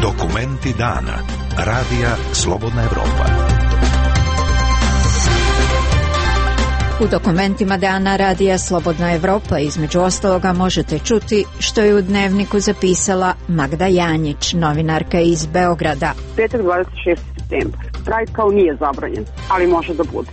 Dokumenti dana. Radija Slobodna Evropa. U dokumentima dana Radija Slobodna Evropa između ostaloga možete čuti što je u Dnevniku zapisala Magda Janjić, novinarka iz Beograda. Petak 26. septembar. Pride kao nije zabranjen, ali može da bude.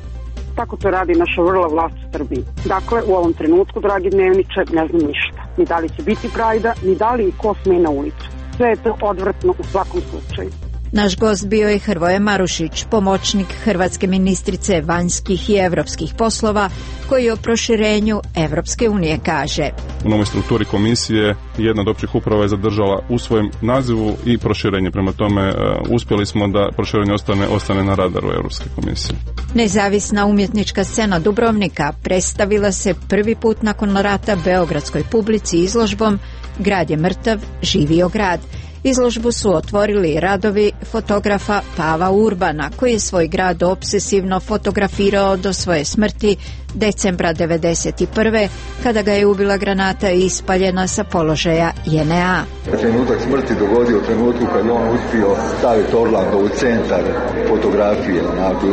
Tako to radi naša vrla vlast u Srbiji. Dakle, u ovom trenutku, dragi dnevniče, ne znam ništa. Ni da li će biti Prajda, ni da li i ko sme na ulicu. Sve je to odvratno u svakom slučaju. Naš gost bio je Hrvoje Marušić, pomoćnik hrvatske ministrice vanjskih i evropskih poslova, koji o proširenju Evropske unije kaže. U novoj strukturi komisije jedna od općih uprava je zadržala u svojem nazivu i proširenje. Prema tome uspjeli smo da proširenje ostane na radaru Europske komisije. Nezavisna umjetnička scena Dubrovnika predstavila se prvi put nakon rata beogradskoj publici izložbom Grad je mrtav, živio grad. Izložbu su otvorili radovi fotografa Pava Urbana, koji je svoj grad obsesivno fotografirao do svoje smrti decembra 1991. kada ga je ubila granata ispaljena sa položaja JNA. Trenutak smrti dogodio u trenutku kad je on uspio staviti Orlando u centar fotografije.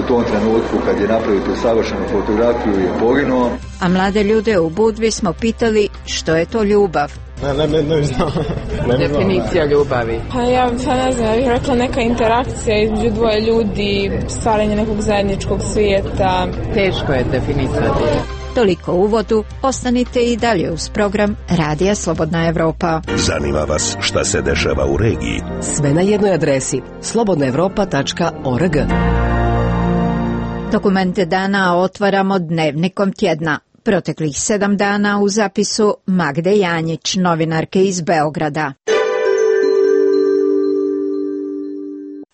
U tom trenutku kad je napravio tu savršenu fotografiju je poginuo. A mlade ljude u Budvi smo pitali što je to ljubav. Ne znam. Definicija ljubavi. Pa ja ne znam, ja bih rekla neka interakcija između dvoje ljudi, stvaranje nekog zajedničkog svijeta. Teško je definisati. Toliko u uvodu, ostanite i dalje uz program Radija Slobodna Evropa. Zanima vas šta se dešava u regiji? Sve na jednoj adresi slobodnaevropa.org. Dokumente dana otvaramo Dnevnikom tjedna. Proteklih 7 dana u zapisu Magde Janjić, novinarke iz Beograda.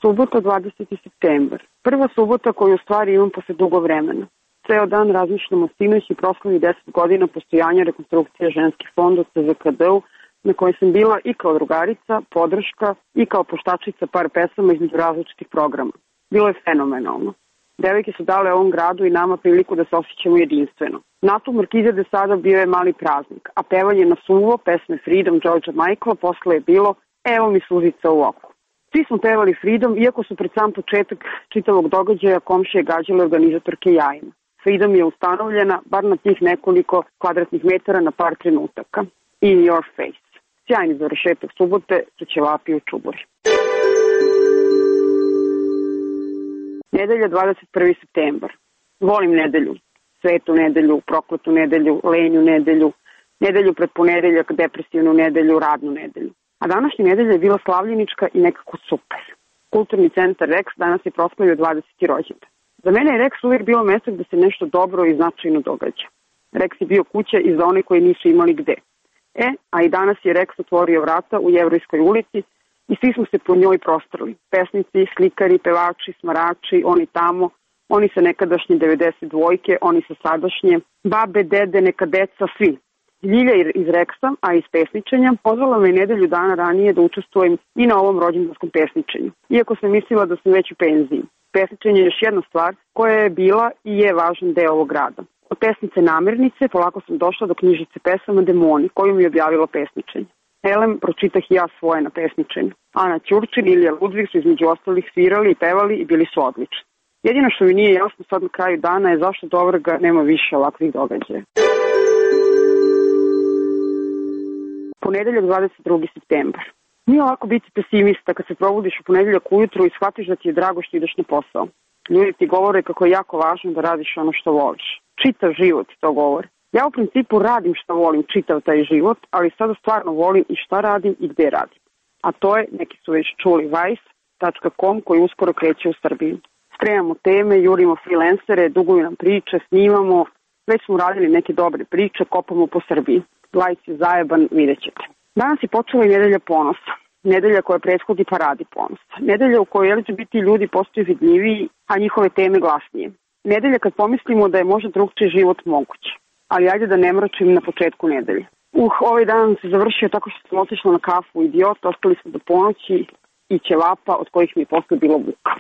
Subota 20. septembar. Prva subota koju u stvari imam posle dugo vremena. Ceo dan razmišljamo sinoć i proslavi 10 godina postojanja rekonstrukcije ženskih fonda CZKD-u, na kojoj sam bila i kao drugarica, podrška i kao poštačica par pesama između različitih programa. Bilo je fenomenalno. Devojke su dale ovom gradu i nama priliku da se osjećamo jedinstveno. Nastup Markize de Sada bio je mali praznik, a pevanje na suvo pesme Freedom Georgea Michaela posle je bilo evo mi suzica u oku. Svi smo pevali Freedom, iako su pred sam početak čitavog događaja komšije gađale organizatorke jajima. Freedom je ustanovljena bar na tih nekoliko kvadratnih metara na par trenutaka. In your face. Sjajni završetak subote su ćevapi u čuburi. Nedelja 21. septembar. Volim nedelju. Svetu nedelju, prokletu nedelju, lenju nedelju, nedelju pred ponedeljak, depresivnu nedelju, radnu nedelju. A današnja nedelja je bila slavljenička i nekako super. Kulturni centar Rex danas je proslavio 20. rođendan. Za mene je Rex uvijek bilo mjesto gde se nešto dobro i značajno događa. Rex je bio kuća i za one koji nisu imali gde. A i danas je Rex otvorio vrata u Jevrejskoj ulici i svi smo se po njoj prostrali. Pesnici, slikari, pevači, smarači, oni tamo, oni sa nekadašnje 92-ojke, oni sa sadašnje, babe, dede, neka deca, svi. Ljilja iz Reksa, a iz pesničenja, pozvala me nedelju dana ranije da učestvujem i na ovom rođendanskom pesničenju. Iako sam mislila da sam već u penziji. Pesničenje je još jedna stvar koja je bila i je važan deo ovog rada. Od pesnice Namirnice polako sam došla do knjižice pesama Demoni, koju mi je objavilo pesničenje. Elem, pročitah i ja svoje na pesničenju. Ana Ćurčin i Ilija Ludvig su između ostalih svirali i pevali i bili su odlični. Jedino što mi nije jasno sad na kraju dana je zašto do ovrga nema više ovakvih događaja. Ponedeljak 22. septembar. Nije lako biti pesimista kad se probudiš u ponedeljak ujutru i shvatiš da ti je drago što ideš na posao. Ljudi ti govore kako je jako važno da radiš ono što voliš. Čitav život to govori. Ja u principu radim što volim čitav taj život, ali sada stvarno volim i šta radim i gde radim. A to je, neki su već čuli, vice.com koji uskoro kreće u Srbiji. Spremamo teme, jurimo freelancere, duguju nam priče, snimamo. Već smo radili neke dobre priče, kopamo po Srbiji. Lajc je zajeban, vidjet ćete. Danas je počela i nedelja ponosa. Nedelja koja prethodi paradi ponosa. Nedelja u kojoj LGBT ljudi postaju vidljiviji, a njihove teme glasnije. Nedelja kad pomislimo da je možda drugčiji život moguć. Ali ajde da ne mračim na početku nedelje. Ovaj dan se završio tako što sam otišla na kafu u Idiot, ostali smo do ponoći i ćevapa od kojih mi je posle bilo muka.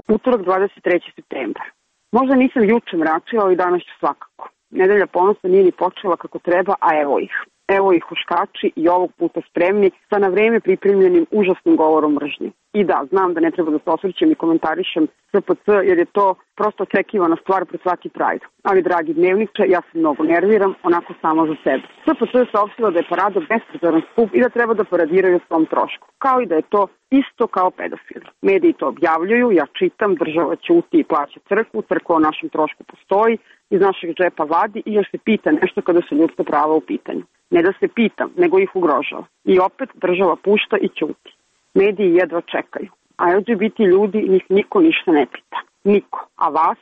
Utorak 23. septembar. Možda nisam juče mračila, ali danas ću svakako. Nedelja ponosa nije ni počela kako treba, a evo ih. Evo ih huškači i ovog puta spremni sa na vreme pripremljenim užasnim govorom mržnje. I da, znam da ne treba da se osvrćem i komentarišem SPC jer je to prosto očekivana stvar pred svaki Pride. Ali, dragi dnevniče, ja se mnogo nerviram, onako samo za sebe. SPC je saopštila da je parada besprezoran skup i da treba da paradiraju svom trošku. Kao i da je to isto kao pedofili. Mediji to objavljuju, ja čitam, država ćuti i plaća crkvu, crkva o našem trošku postoji, iz našeg džepa vadi i još se pita nešto kada su ljudska prava u pitanju. Ne da se pitam, nego ih ugrožava. I opet država pušta i ćuti. Mediji jedva čekaju. A LGBT ljudi, njih niko ništa ne pita. Niko. A vas?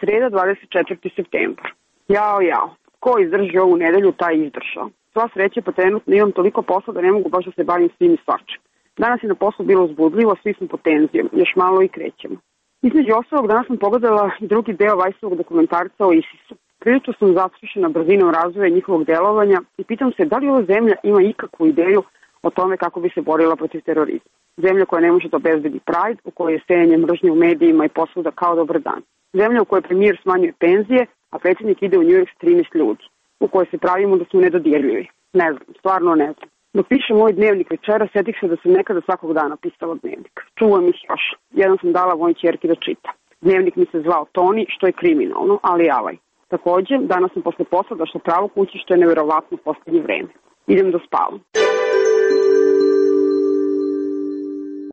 Sreda 24. septembar. Jao. Ko izdrži ovu nedelju, taj izdržao. Sva sreća, pa trenutno imam toliko posla da ne mogu baš da se bavim svim i svačim. Danas je na poslu bilo uzbudljivo, svi smo pod tenzijom. Još malo i krećemo. Između ostalog, danas sam pogledala i drugi deo Vajsovog dokumentarca o ISIS-u. Prilično sam zastrašena brzinom razvoja njihovog delovanja i pitam se da li ova zemlja ima ikakvu ideju o tome kako bi se borila protiv terorizma. Zemlja koja ne može da obezbedi Pride, u kojoj je sejanje mržnje u medijima i posvuda kao dobar dan. Zemlja u kojoj premijer smanjuje penzije, a predsjednik ide u New York s 13 ljudi, u kojoj se pravimo da smo nedodirljivi. Ne znam, stvarno ne znam. Dok pišem ovaj dnevnik večera, setih se da sam nekada svakog dana pisala dnevnik. Čuvam ih još. Jedan sam dala mojoj ćerki da čita. Dnevnik mi se zvao Toni, što je kriminalno, ali avaj. Takođe, danas sam posle posla došla pravo kući, što je neverovatno u poslednje vreme. Idem da spavam.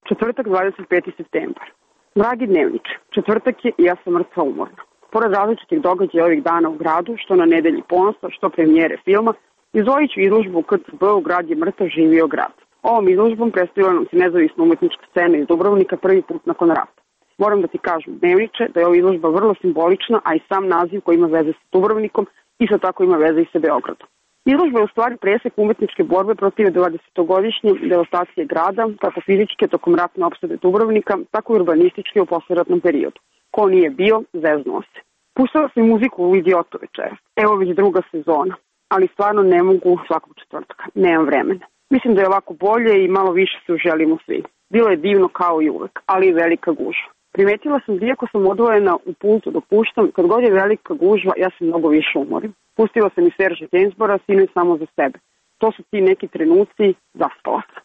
Četvrtak, 25. septembar. Dragi dnevniče, četvrtak je i ja sam mrtva umorna. Pored različitih događaja ovih dana u gradu, što na nedelji ponosa, što premijere filma, izdvojit ću izložbu u KCB u Grad je mrtav, živio grad. Ovom izložbom predstavila nam se nezavisna umetnička scena iz Dubrovnika prvi put nakon rata. Moram da ti kažem, dnevniče, da je ova izložba vrlo simbolična, a i sam naziv koji ima veze sa Dubrovnikom, isto tako ima veze i sa Beogradom. Izložba je u stvari presek umetničke borbe protiv 20-godišnje devastacije grada, kako fizičke tokom ratne opsade Dubrovnika, tako i urbanističke u posleratnom periodu. Ko nije bio, zeznuo se. Pustila sam muziku u Idiotu večera. Evo već druga sezona, ali stvarno ne mogu svakog četvrtka. Nemam vremena. Mislim da je ovako bolje i malo više se uželimo svi. Bilo je divno kao i uvek, ali i velika gužva. Primetila sam da iako sam odvojena u pultu dok puštam, kad god je velika gužva, ja se mnogo više umorim. Pustila sam i Serža Gainsbora, sinoć samo za sebe. To su ti neki trenuci, zaspala sam.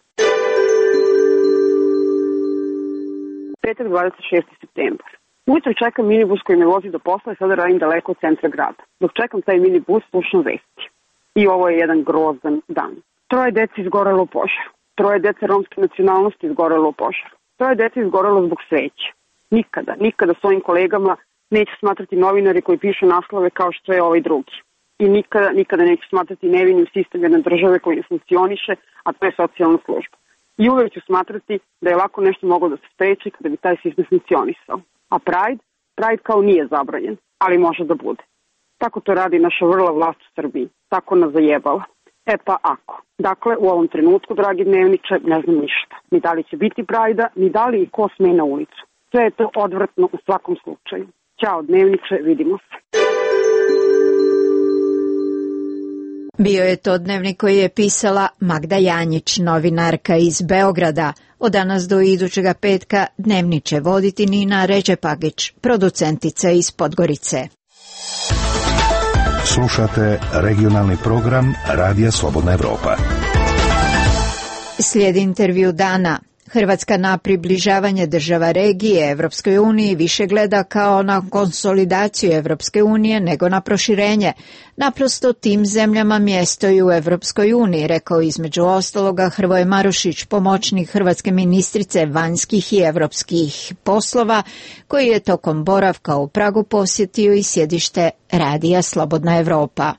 Petak, 26. septembar. Ujutro čekam minibus koji me vozi do posla i sada radim daleko od centra grada. Dok čekam taj minibus, slušam vesti. I ovo je jedan grozan dan. 3 dece izgorelo u požaru. 3 dece romske nacionalnosti izgorelo u požaru. 3 dece izgorelo zbog sveća. Nikada svojim kolegama neću smatrati novinari koji pišu naslove kao što je ovaj drugi. I nikada neću smatrati nevinim sistem jedne države koji ne funkcioniše, a to je socijalna služba. I uvek ću smatrati da je ovako nešto moglo da se spreči kada bi taj sistem funkcionisao. A Pride kao nije zabranjen, ali može da bude. Tako to radi naša vrla vlast u Srbiji. Tako nas zajebala. E pa ako. Dakle, u ovom trenutku, dragi dnevniče, ne znam ništa. Ni da li će biti Prajda, ni da li i ko sme na ulicu. Sve je to odvratno u svakom slučaju. Ćao dnevniče, vidimo se. Bio je to dnevnik koji je pisala Magda Janjić, novinarka iz Beograda. Od danas do idućega petka dnevnik će voditi Nina Ređepagić, producentica iz Podgorice. Slušate regionalni program Radija Slobodna Evropa. Slijedi intervju dana. Hrvatska na približavanje država regije Evropskoj uniji više gleda kao na konsolidaciju Evropske unije nego na proširenje. Naprosto tim zemljama mjesto i u Evropskoj uniji, rekao između ostaloga Hrvoje Marušić, pomoćnik hrvatske ministrice vanjskih i evropskih poslova, koji je tokom boravka u Pragu posjetio i sjedište Radija Slobodna Evropa.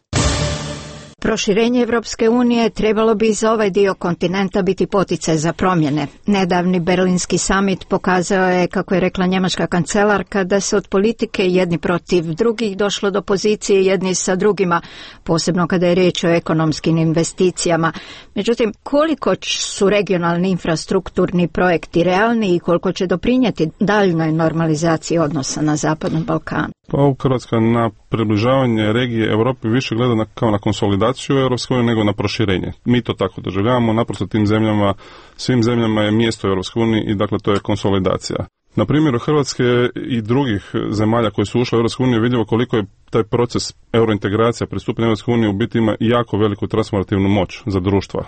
Proširenje Evropske unije trebalo bi za ovaj dio kontinenta biti poticaj za promjene. Nedavni berlinski samit pokazao je, kako je rekla njemačka kancelarka, da se od politike jedni protiv drugih došlo do pozicije jedni sa drugima, posebno kada je riječ o ekonomskim investicijama. Međutim, koliko su regionalni infrastrukturni projekti realni i koliko će doprinijeti daljnoj normalizaciji odnosa na Zapadnom Balkanu? Pa Hrvatska na približavanje regije Europi više gleda kao na konsolidaciju Europske unije nego na proširenje. Mi to tako doživljavamo, naprosto tim zemljama, svim zemljama je mjesto u Europskoj uniji i dakle to je konsolidacija. Na primjeru Hrvatske i drugih zemalja koje su ušle u Europsku uniju vidljivo koliko je taj proces eurointegracija, pristupanja Europskoj uniji u biti ima jako veliku transformativnu moć za društva.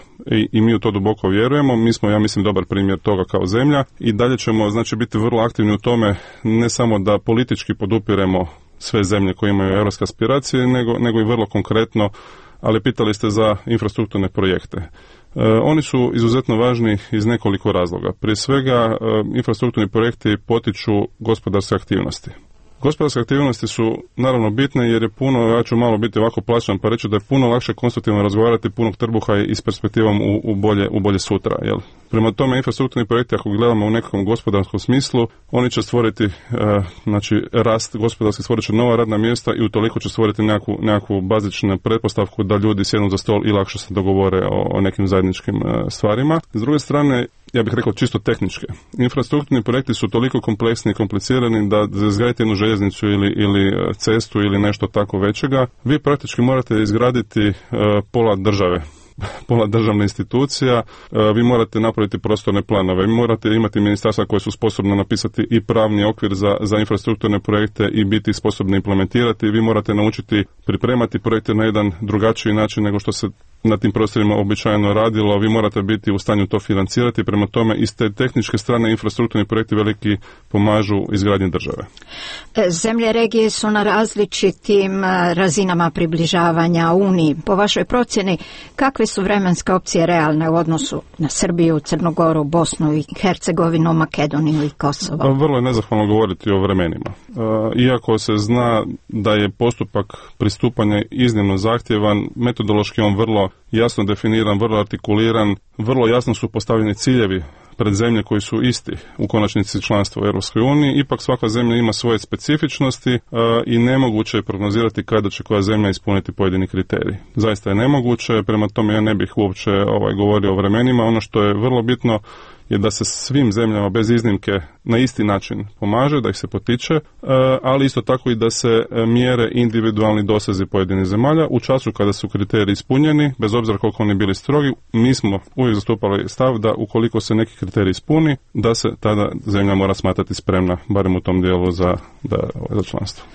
I mi u to duboko vjerujemo. Mi smo, ja mislim, dobar primjer toga kao zemlja i dalje ćemo, znači, biti vrlo aktivni u tome, ne samo da politički podupiremo sve zemlje koje imaju europske aspiracije, nego i vrlo konkretno, ali pitali ste za infrastrukturne projekte. Oni su izuzetno važni iz nekoliko razloga. Prije svega, infrastrukturni projekti potiču gospodarske aktivnosti. Gospodarske aktivnosti su naravno bitne jer je puno, ja ću malo biti ovako plaćan pa reći da je puno lakše konstruktivno razgovarati punog trbuha i s perspektivom u bolje sutra. Jel? Prema tome, infrastrukturni projekti, ako gledamo u nekom gospodarskom smislu, oni će stvoriti rast gospodarski, stvorit će nova radna mjesta i utoliko će stvoriti nekakvu bazičnu pretpostavku da ljudi sjednu za stol i lakše se dogovore o nekim zajedničkim stvarima. S druge strane, ja bih rekao čisto tehničke. Infrastrukturni projekti su toliko kompleksni i komplicirani da za izgraditi jednu željeznicu ili cestu ili nešto tako većega, vi praktički morate izgraditi pola države. Pola državne institucija, vi morate napraviti prostorne planove, vi morate imati ministarstva koje su sposobne napisati i pravni okvir za infrastrukturne projekte i biti sposobni implementirati, vi morate naučiti pripremati projekte na jedan drugačiji način nego što se na tim prostorima običajno radilo, vi morate biti u stanju to financirati, prema tome iz te tehničke strane infrastrukturni projekti veliki pomažu izgradnji države. Zemlje regije su na različitim razinama približavanja Uniji. Po vašoj procjeni, kakve su vremenske opcije realne u odnosu na Srbiju, Crnu Goru, Bosnu i Hercegovinu, Makedoniju i Kosovo? Vrlo je nezahvalno govoriti o vremenima. Iako se zna da je postupak pristupanja iznimno zahtjevan, metodološki on vrlo jasno definiran, vrlo artikuliran, vrlo jasno su postavljeni ciljevi pred zemlje koji su isti u konačnici članstva u Europskoj uniji. Ipak svaka zemlja ima svoje specifičnosti i nemoguće je prognozirati kada će koja zemlja ispuniti pojedini kriterij. Zaista je nemoguće, prema tome ja ne bih uopće govorio o vremenima. Ono što je vrlo bitno je da se svim zemljama bez iznimke na isti način pomaže, da ih se potiče, ali isto tako i da se mjere individualni dosezi pojedinih zemalja. U času kada su kriteriji ispunjeni, bez obzira koliko oni bili strogi, mi smo uvijek zastupali stav da ukoliko se neki kriterij ispuni, da se tada zemlja mora smatrati spremna, barem u tom dijelu za članstvo.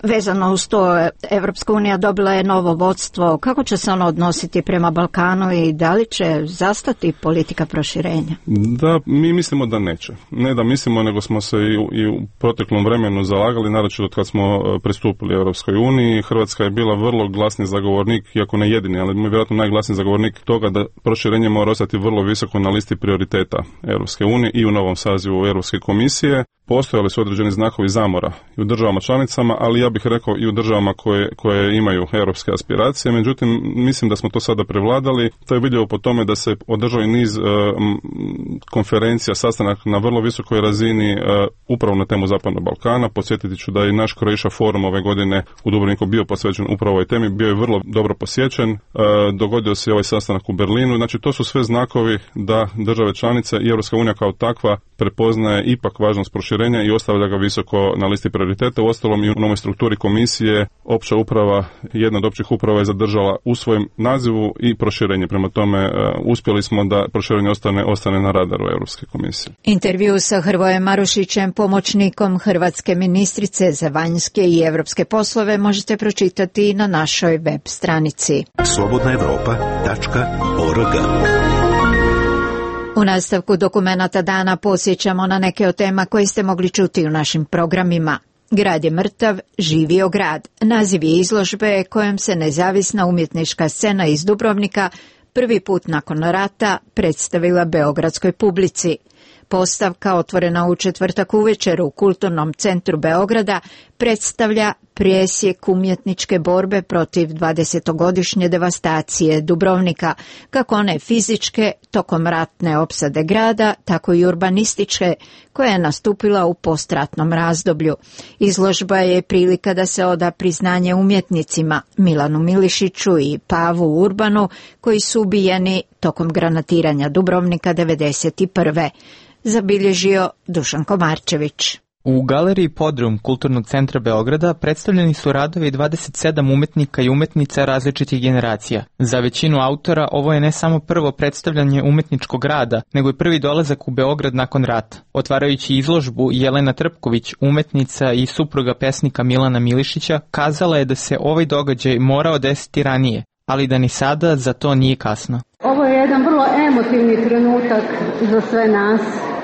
Vezano uz to, Evropska unija dobila je novo vodstvo. Kako će se ono odnositi prema Balkanu i da li će zastati politika proširenja? Da, mi mislimo da neće. Ne da mislimo, nego smo se i u proteklom vremenu zalagali, naročito od kad smo pristupili Europskoj uniji. Hrvatska je bila vrlo glasni zagovornik, iako ne jedini, ali vjerojatno najglasniji zagovornik toga da proširenje mora ostati vrlo visoko na listi prioriteta Europske unije i u novom sazivu Europske komisije. Postojali su određeni znakovi zamora i u državama članicama, ali ja bih rekao i u državama koje imaju europske aspiracije. Međutim, mislim da smo to sada prevladali. To je vidljivo po tome da se održao i niz konferencija, sastanak na vrlo visokoj razini upravo na temu Zapadnog Balkana. Podsjetiti ću da je naš Croatia forum ove godine u Dubrovniku bio posvećen upravo ovoj temi. Bio je vrlo dobro posjećen. Dogodio se i ovaj sastanak u Berlinu. Znači, to su sve znakovi da države članice i Europska unija kao takva prepoznaje ipak važnost proširenja i ostavlja ga visoko na listi prioriteta. Uostalom i u novoj strukturi komisije opća uprava, jedna od općih uprava je zadržala u svojem nazivu i proširenje. Prema tome uspjeli smo da proširenje ostane na radaru Europske komisije. Intervju sa Hrvojem Marušićem, pomoćnikom hrvatske ministrice za vanjske i europske poslove, možete pročitati na našoj web stranici slobodnaevropa.org. U nastavku dokumenata dana podsjećamo na neke od tema koje ste mogli čuti u našim programima. Grad je mrtav, živio grad. Naziv je izložbe kojom se nezavisna umjetnička scena iz Dubrovnika prvi put nakon rata predstavila beogradskoj publici. Postavka, otvorena u četvrtak uvečer u Kulturnom centru Beograda, predstavlja presjek umjetničke borbe protiv 20-godišnje devastacije Dubrovnika, kako one fizičke tokom ratne opsade grada, tako i urbanističke, koja je nastupila u postratnom razdoblju. Izložba je prilika da se oda priznanje umjetnicima Milanu Milišiću i Pavu Urbanu, koji su ubijeni tokom granatiranja Dubrovnika 1991. Zabilježio Dušan Komarčević. U galeriji Podrum Kulturnog centra Beograda predstavljeni su radovi 27 umetnika i umetnica različitih generacija. Za većinu autora ovo je ne samo prvo predstavljanje umetničkog rada, nego i prvi dolazak u Beograd nakon rata. Otvarajući izložbu, Jelena Trpković, umetnica i supruga pesnika Milana Milišića, kazala je da se ovaj događaj morao desiti ranije, ali da ni sada za to nije kasno. Ovo je jedan vrlo emotivni trenutak za sve nas.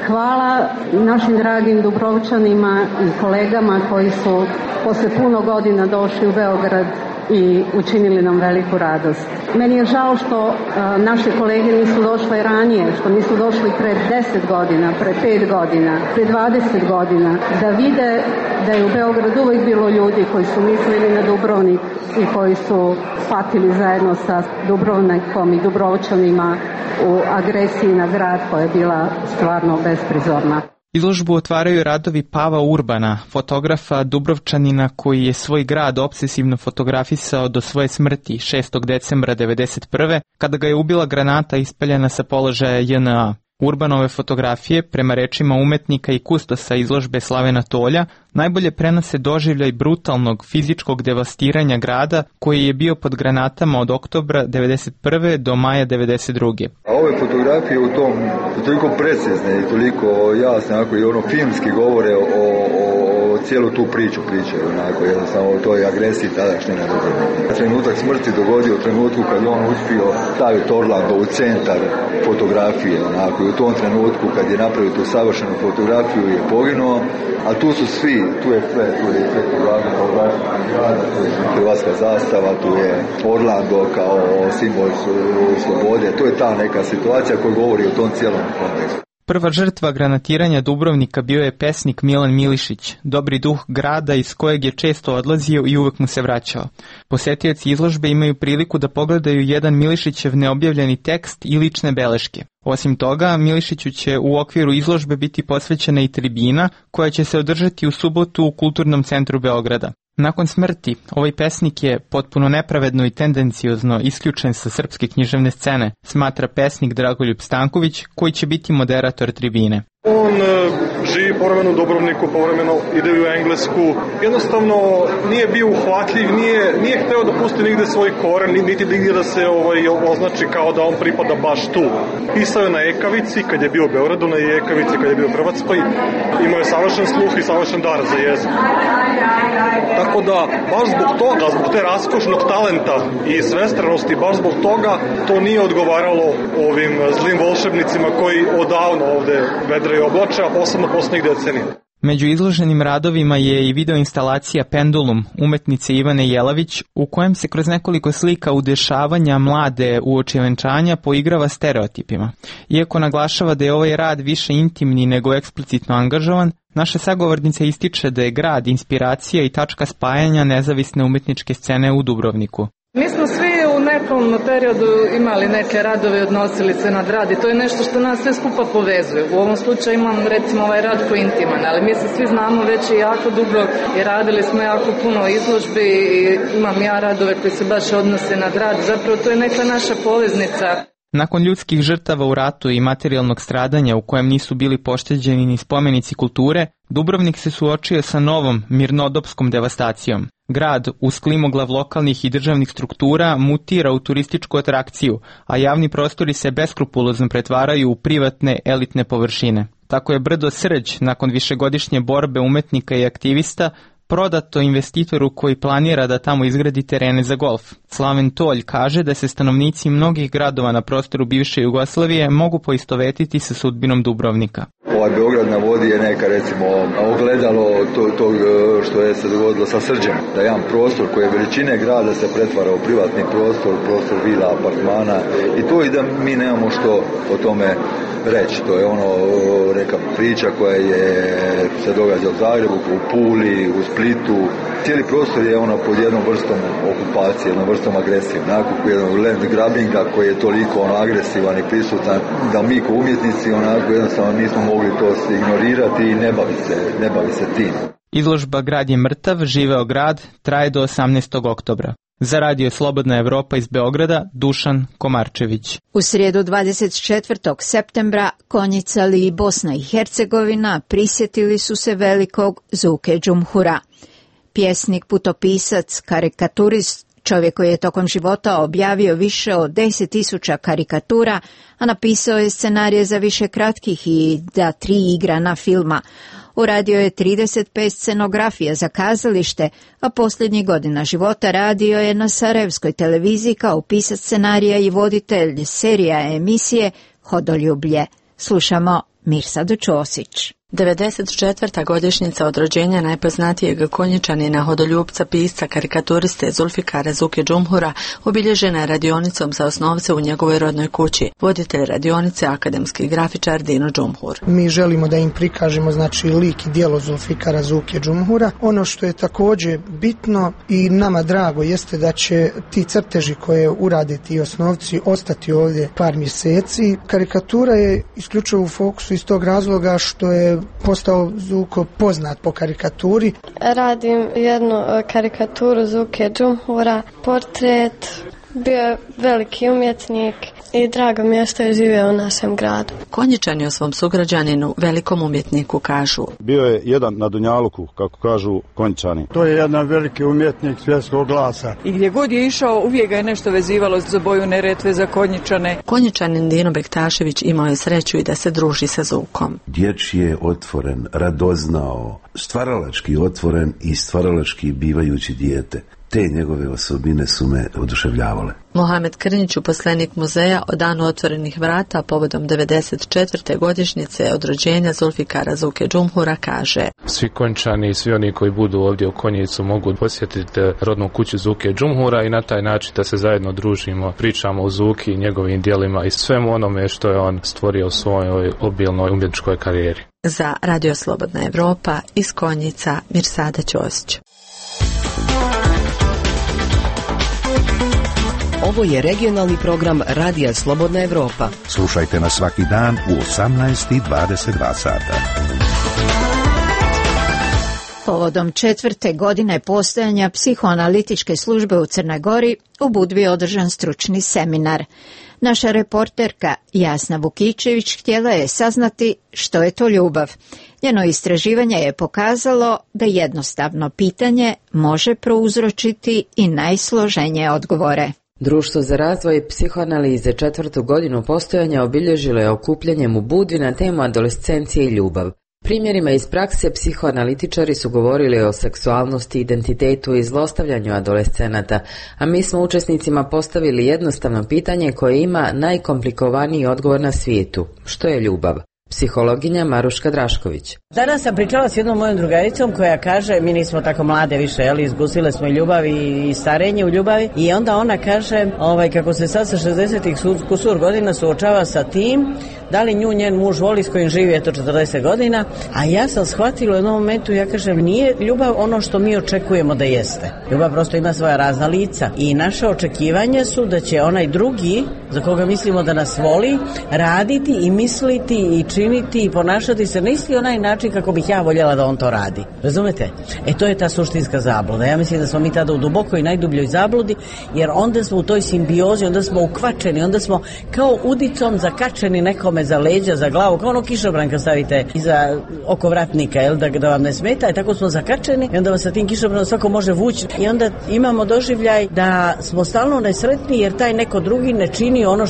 Hvala našim dragim Dubrovčanima i kolegama koji su posle puno godina došli u Beograd i učinili nam veliku radost. Meni je žao što naše kolege nisu došle ranije, što nisu došli pre 10 godina, pre 5 godina, pre 20 godina, da vide da je u Beogradu uvijek bilo ljudi koji su mislili na Dubrovnik i koji su patili zajedno sa Dubrovnikom i Dubrovčanima u agresiji na grad koja je bila stvarno besprizorna. Izložbu otvaraju radovi Pava Urbana, fotografa Dubrovčanina koji je svoj grad opsesivno fotografisao do svoje smrti 6. decembra 1991. kada ga je ubila granata ispaljena sa položaja JNA. Urbanove fotografije, prema rečima umetnika i kustosa izložbe Slavena Tolja, najbolje prenose doživljaj brutalnog fizičkog devastiranja grada koji je bio pod granatama od oktobra 1991. do maja 1992. A ove fotografije u tom toliko precizne i toliko jasne, onako i ono filmski govore o cijelu tu priču pričaju, onako jednostavno o toj agresiji tadašnje na Dubrovnik. Trenutak smrti dogodio u trenutku kad je on uspio staviti Orlando u centar fotografije, onako, i u tom trenutku kad je napravio tu savršenu fotografiju je poginuo, a tu su svi, tu je sve, tu je grada, tu je hrvatska zastava, tu je Orlando kao simbol slobode, to je ta neka situacija koja govori o tom cijelom kontekstu. Prva žrtva granatiranja Dubrovnika bio je pesnik Milan Milišić, dobri duh grada iz kojeg je često odlazio i uvek mu se vraćao. Posetioci izložbe imaju priliku da pogledaju jedan Milišićev neobjavljeni tekst i lične beleške. Osim toga, Milišiću će u okviru izložbe biti posvećena i tribina koja će se održati u subotu u Kulturnom centru Beograda. Nakon smrti, ovaj pesnik je potpuno nepravedno i tendenciozno isključen sa srpske književne scene, smatra pesnik Dragoljub Stanković, koji će biti moderator tribine. On živi povremeno u Dubrovniku, povremeno ide u Englesku. Jednostavno nije bio uhvatljiv, nije hteo da pusti nigde svoj koren, niti nigdje da se označi kao da on pripada baš tu. Pisao je na ekavici, kad je bio u Beogradu, na ekavici kad je bio u Hrvatskoj. Imao je savršen sluh i savršen dar za jezik. Tako da, baš zbog toga, zbog te raskošnog talenta i svestranosti, baš zbog toga to nije odgovaralo ovim zlim volšebnicima koji odavno ovde vedre i oblače, a posebno poslednjih decenija. Među izloženim radovima je i videoinstalacija Pendulum umetnice Ivane Jelavić, u kojem se kroz nekoliko slika udešavanja mlade uoči venčanja poigrava stereotipima. Iako naglašava da je ovaj rad više intimni nego eksplicitno angažovan, naša sagovornica ističe da je grad inspiracija i tačka spajanja nezavisne umetničke scene u Dubrovniku. Mi smo svi u nekom periodu imali neke radove, odnosili se na grad i to je nešto što nas sve skupa povezuje. U ovom slučaju imam recimo ovaj rad koji je intiman, ali mi se svi znamo već i jako dugo i radili smo jako puno izložbi i imam ja radove koji se baš odnose na grad. Zapravo to je neka naša poveznica. Nakon ljudskih žrtava u ratu i materijalnog stradanja u kojem nisu bili pošteđeni ni spomenici kulture, Dubrovnik se suočio sa novom mirnodopskom devastacijom. Grad, uz klimoglav lokalnih i državnih struktura, mutira u turističku atrakciju, a javni prostori se beskrupulozno pretvaraju u privatne elitne površine. Tako je brdo Srđ, nakon višegodišnje borbe umetnika i aktivista, prodato investitoru koji planira da tamo izgradi terene za golf. Slaven Tolj kaže da se stanovnici mnogih gradova na prostoru bivše Jugoslavije mogu poistovetiti sa sudbinom Dubrovnika. Beograd na vodi je neka, recimo, ogledalo tog što je se dogodilo sa Srđem. Da jedan prostor koji je veličine grada se pretvara u privatni prostor vila, apartmana i to i da mi nemamo što o tome reći. To je neka priča koja se događa u Zagrebu, u Puli, u Splitu. Cijeli prostor je pod jednom vrstom okupacije, jednom vrstom agresije. Onako jednog land grabbinga koji je toliko agresivan i prisutan da mi kao umjetnici jednostavno nismo mogli to ignorirati i ne bavi se tim. Izložba Grad je mrtav, živeo grad traje do 18. oktobra. Za radio Slobodna Evropa iz Beograda, Dušan Komarčević. U srijedu 24. septembra Konjicali i Bosna i Hercegovina prisjetili su se velikog Zuke Džumhura. Pjesnik, putopisac, karikaturist, čovjek koji je tokom života objavio više od 10.000 karikatura, a napisao je scenarije za više kratkih i za 3 igrana filma. Uradio je 35 scenografija za kazalište, a posljednjih godina života radio je na sarajevskoj televiziji kao pisac scenarija i voditelj serija emisije Hodoljublje. Slušamo Mirsadu Ćosić. 94. godišnjica od rođenja najpoznatijeg Konjičanina, hodoljupca, pisca, karikaturiste Zulfikara Zuke Džumhura obilježena je radionicom za osnovce u njegovoj rodnoj kući. Voditelj radionice, akademski grafičar Dino Džumhur. Mi želimo da im prikažemo lik i djelo Zulfikara Zuke Džumhura. Ono što je također bitno i nama drago jeste da će ti crteži koje urade ti osnovci ostati ovdje par mjeseci. Karikatura je isključivo u fokusu iz tog razloga što je postao Zuko poznat po karikaturi. Radim jednu karikaturu Zuke Džumhura, portret, bio je veliki umjetnik i drago mi je što je živio u našem gradu. Konjičani o svom sugrađaninu, velikom umjetniku, kažu: bio je jedan na Dunjaluku, kako kažu Konjičani. To je jedan veliki umjetnik svjetskog glasa. I gdje god je išao, uvijek ga je nešto vezivalo za boju Neretve, za Konjičane. Konjičanin Dino Bektašević imao je sreću i da se druži sa Zukom. Dječji je otvoren, radoznao, stvaralački otvoren i stvaralački bivajući dijete. Te njegove osobine su me oduševljavale. Mohamed Krnjić, uposlenik muzeja, o danu otvorenih vrata povodom 94. godišnjice od rođenja Zulfikara Zuke Džumhura kaže: svi Konjičani i svi oni koji budu ovdje u Konjicu mogu posjetiti rodnu kuću Zuke Džumhura i na taj način da se zajedno družimo, pričamo o Zuki i njegovim djelima i svemu onome što je on stvorio u svojoj obilnoj umjetničkoj karijeri. Za Radio Slobodna Evropa iz Konjica, Mirsada Ćosić. Ovo je regionalni program Radija Slobodna Evropa. Slušajte nas svaki dan u 18:22 sata. Povodom 4. godine postojanja psihoanalitičke službe u Crnoj Gori u Budvi je održan stručni seminar. Naša reporterka Jasna Vukičević htjela je saznati što je to ljubav. Njeno istraživanje je pokazalo da jednostavno pitanje može prouzročiti i najsloženije odgovore. Društvo za razvoj psihoanalize 4. godinu postojanja obilježilo je okupljanjem u Budvi na temu adolescencije i ljubav. Primjerima iz prakse psihoanalitičari su govorili o seksualnosti, identitetu i zlostavljanju adolescenata, a mi smo učesnicima postavili jednostavno pitanje koje ima najkomplikovaniji odgovor na svijetu. Što je ljubav? Psihologinja Maruška Drašković. Danas sam pričala s jednom mojom drugaricom koja kaže, mi nismo tako mlade više, izgusile smo ljubavi i starenje u ljubavi, i onda ona kaže kako se sad sa 60-ih kusur godina suočava sa tim da li nju njen muž voli s kojim živi 40 godina, a ja sam shvatila u jednom momentu, ja kažem, nije ljubav ono što mi očekujemo da jeste. Ljubav prosto ima svoja razna lica i naše očekivanja su da će onaj drugi, za koga mislimo da nas voli, raditi i misliti i činiti i ponašati se na isti onaj način kako bih ja voljela da on to radi. Razumete? To je ta suštinska zabluda. Ja mislim da smo mi tada u dubokoj i najdubljoj zabludi, jer onda smo u toj simbiozi, onda smo ukvačeni, onda smo kao udicom zakačeni nekome za leđa, za glavu, kao ono kišobran kad stavite iza oko vratnika, da vam ne smeta, i tako smo zakačeni i onda vas sa tim kišobranom svako može vući i onda imamo doživljaj da smo stalno nesretni jer taj neko drugi ne čini ono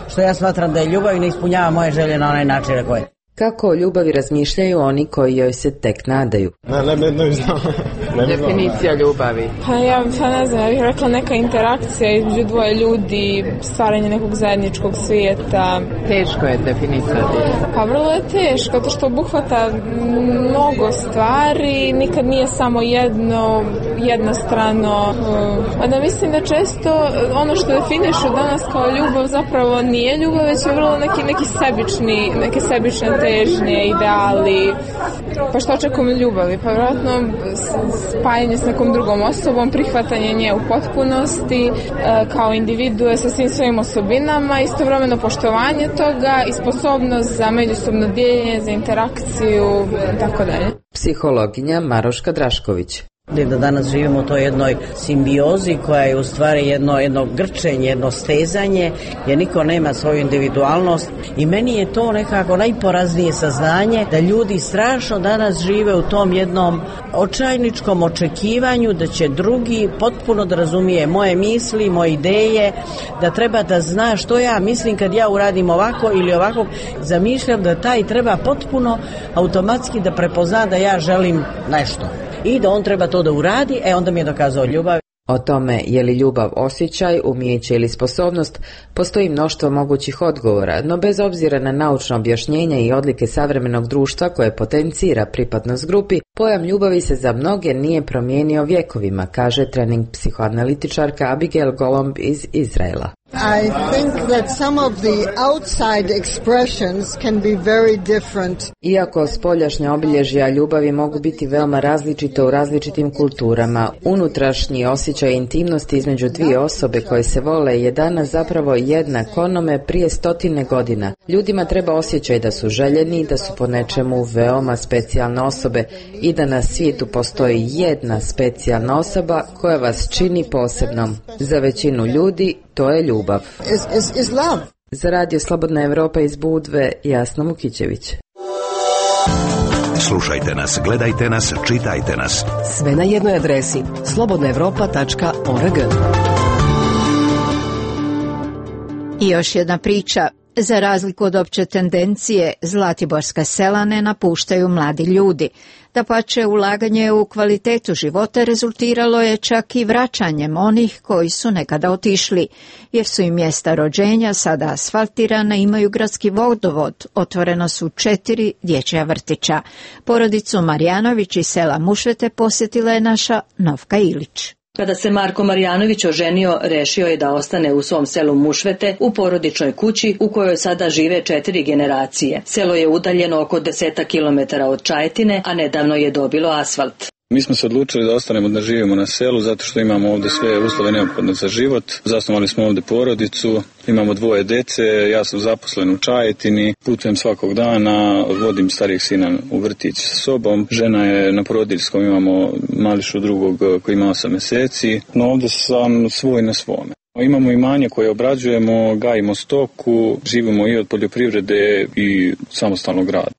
što ja smatram da je ljubav i ne ispunjava moje želje na onaj način na koji. Kako o ljubavi razmišljaju oni koji joj se tek nadaju? Ne znam. Definicija ljubavi. Ja ne znam, ja bih rekla neka interakcija između dvoje ljudi, stvaranje nekog zajedničkog svijeta. Teško je definicija. Pa vrlo je teško, zato što obuhvata mnogo stvari, nikad nije samo jednostrano. Da mislim da često ono što definišu danas kao ljubav zapravo nije ljubav, već je vrlo neke sebične težnje, ideali. Pa što očekujem ljubavi? Pa vjerojatno spajanje s nekom drugom osobom, prihvatanje nje u potpunosti, kao individue sa svim svojim osobinama, istovremeno poštovanje toga i sposobnost za međusobno dijeljenje, za interakciju i tako dalje. Psihologinja Maruška Drašković. Da danas živimo u toj jednoj simbiozi koja je u stvari jedno grčenje, jedno stezanje, jer niko nema svoju individualnost i meni je to nekako najporaznije saznanje da ljudi strašno danas žive u tom jednom očajničkom očekivanju da će drugi potpuno da razumije moje misli, moje ideje, da treba da zna što ja mislim kad ja uradim ovako ili ovako. Zamišljam da taj treba potpuno automatski da prepozna da ja želim nešto i da on treba to da uradi, onda mi je dokazao ljubav. O tome je li ljubav osjećaj, umijeće ili sposobnost, postoji mnoštvo mogućih odgovora, no bez obzira na naučno objašnjenje i odlike savremenog društva koje potencira pripadnost grupi, pojam ljubavi se za mnoge nije promijenio vjekovima, kaže trening psihoanalitičarka Abigail Golomb iz Izraela. I think that some of the outside expressions can be very different. Iako spoljašnja obilježja ljubavi mogu biti veoma različita u različitim kulturama, unutrašnji osjećaj intimnosti između dvije osobe koje se vole je danas zapravo jednak onome prije 100 godina. Ljudima treba osjećaj da su željeni, da su po nečemu veoma specijalne osobe i da na svijetu postoji jedna specijalna osoba koja vas čini posebnom. Za većinu ljudi to je ljubav. Is love. Za Radio Slobodna Evropa iz Budve, Jasna Mukićević. Slušajte nas, gledajte nas, čitajte nas. Sve na jednoj adresi slobodnaevropa.org. I još jedna priča. Za razliku od opće tendencije, zlatiborska sela ne napuštaju mladi ljudi. Dapače, ulaganje u kvalitetu života rezultiralo je čak i vraćanjem onih koji su nekada otišli, jer su im mjesta rođenja sada asfaltirana, imaju gradski vodovod, otvoreno su 4 dječja vrtića. Porodicu Marjanović iz sela Mušvete posjetila je naša Novka Ilić. Kada se Marko Marjanović oženio, rešio je da ostane u svom selu Mušvete u porodičnoj kući u kojoj sada žive 4 generacije. Selo je udaljeno oko 10 kilometara od Čajetine, a nedavno je dobilo asfalt. Mi smo se odlučili da ostanemo da živimo na selu zato što imamo ovdje sve uslove neophodne za život. Zasnovali smo ovdje porodicu, imamo 2 dece, ja sam zaposlen u Čajetini, putujem svakog dana, vodim starijeg sina u vrtić sa sobom. Žena je na porodiljskom, imamo mališu drugog koji ima 8 mjeseci, no ovdje sam svoj na svome. Imamo imanje koje obrađujemo, gajimo stoku, živimo i od poljoprivrede i samostalnog rada.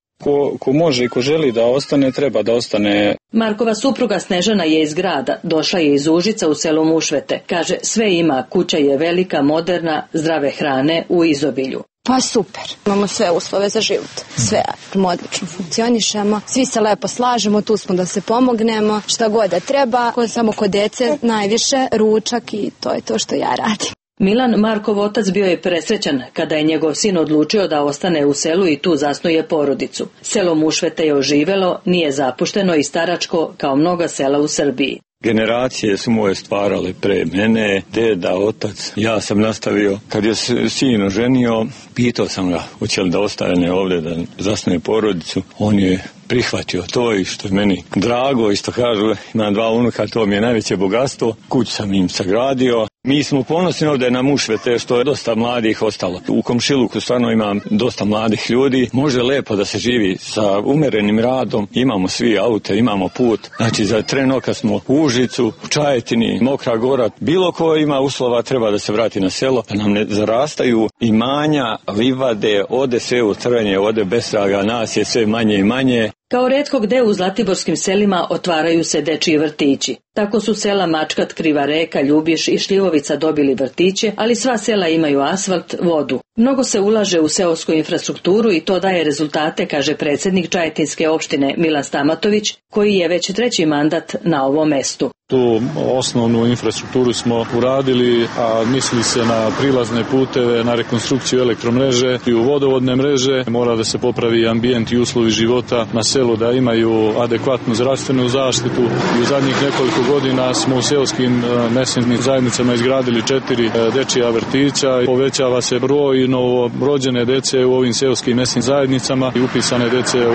Ko može i ko želi da ostane, treba da ostane. Markova supruga Snežana je iz grada, došla je iz Užica u selo Mušvete. Kaže, sve ima, kuća je velika, moderna, zdrave hrane u izobilju. Pa super, imamo sve uslove za život, sve odlično funkcionišemo, svi se lepo slažemo, tu smo da se pomognemo, šta god da treba, samo kod dece najviše ručak i to je to što ja radim. Milan, Markov otac, bio je presrećan kada je njegov sin odlučio da ostane u selu i tu zasnuje porodicu. Selo Mušvete je oživelo, nije zapušteno i staračko kao mnoga sela u Srbiji. Generacije su moje stvarale pre mene, deda, otac. Ja sam nastavio. Kad je sin oženio, pitao sam ga hoće li da ostane ovdje da zasnuje porodicu. On je prihvatio to i što je meni drago i što kažu imam 2 unuka, to mi je najveće bogatstvo. Kuću sam im sagradio. Mi smo ponosni ovdje na Mušvete što je dosta mladih ostalo. U komšiluku stvarno imam dosta mladih ljudi. Može lepo da se živi sa umerenim radom. Imamo svi aute, imamo put. Znači za tren oka smo u Užicu, u Čajetini, Mokra Gora. Bilo ko ima uslova treba da se vrati na selo. Da nam ne zarastaju imanja, livade, ode sve u trvenje, ode bez traga, nas je sve manje i manje. Kao retko gde u zlatiborskim selima otvaraju se dečiji vrtići. Tako su sela Mačkat, Kriva Reka, Ljubiš i Šljivovica dobili vrtiće, ali sva sela imaju asfalt, vodu. Mnogo se ulaže u seosku infrastrukturu i to daje rezultate, kaže predsjednik Čajetinske opštine Milan Stamatović, koji je već 3. mandat na ovom mestu. Tu osnovnu infrastrukturu smo uradili, a misli se na prilazne puteve, na rekonstrukciju elektromreže i u vodovodne mreže. Mora da se popravi ambijent i uslovi života na selu, da imaju adekvatnu zdravstvenu zaštitu. I u zadnjih nekoliko godina smo u seoskim mesnim zajednicama izgradili 4 dečija vrtića. Povećava se broj novorođene dece u ovim seoskim mesnim zajednicama i upisane dece u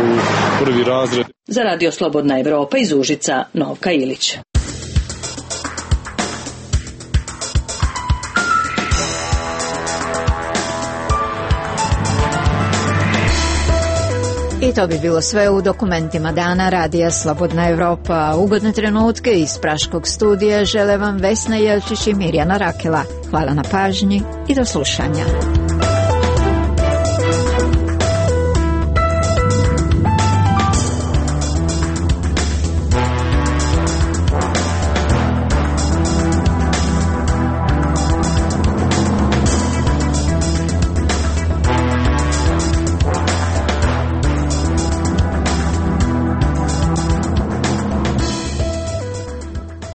1. razred. Za Radio Slobodna Evropa iz Užica, Novka Ilić. I to bi bilo sve u dokumentima dana Radija Slobodna Evropa. Ugodne trenutke iz Praškog studija žele vam Vesna Jelčić i Mirjana Rakela. Hvala na pažnji i do slušanja.